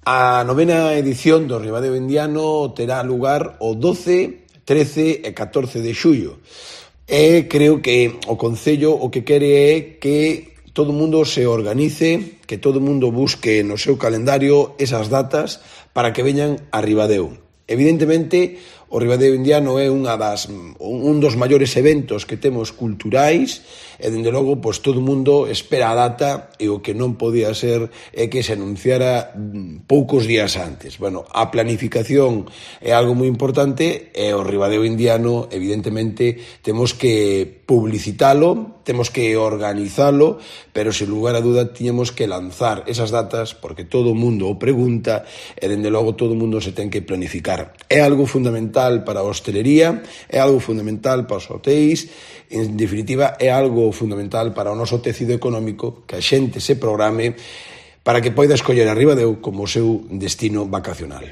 A novena edición do Ribadeo Indiano terá lugar o 12, 13 e 14 de xullo. E creo que o Concello o que quere é que todo o mundo se organice, que todo o mundo busque no seu calendario esas datas para que veñan a Ribadeo. Evidentemente, o Ribadeo Indiano é un dos maiores eventos que temos culturais e, dende logo, todo o mundo espera a data e o que non podía ser é que se anunciara poucos días antes. Bueno, a planificación é algo moi importante e o Ribadeo Indiano, evidentemente, temos que publicitalo, temos que organizalo, pero, sen lugar a duda, tiñemos que lanzar esas datas porque todo o mundo o pregunta e, dende logo, todo o mundo se ten que planificar. É algo fundamental para a hostelería, é algo fundamental para os hotéis, en definitiva, é algo fundamental para o noso tecido económico que a xente se programe para que poida escoller a Ribadeo como o seu destino vacacional.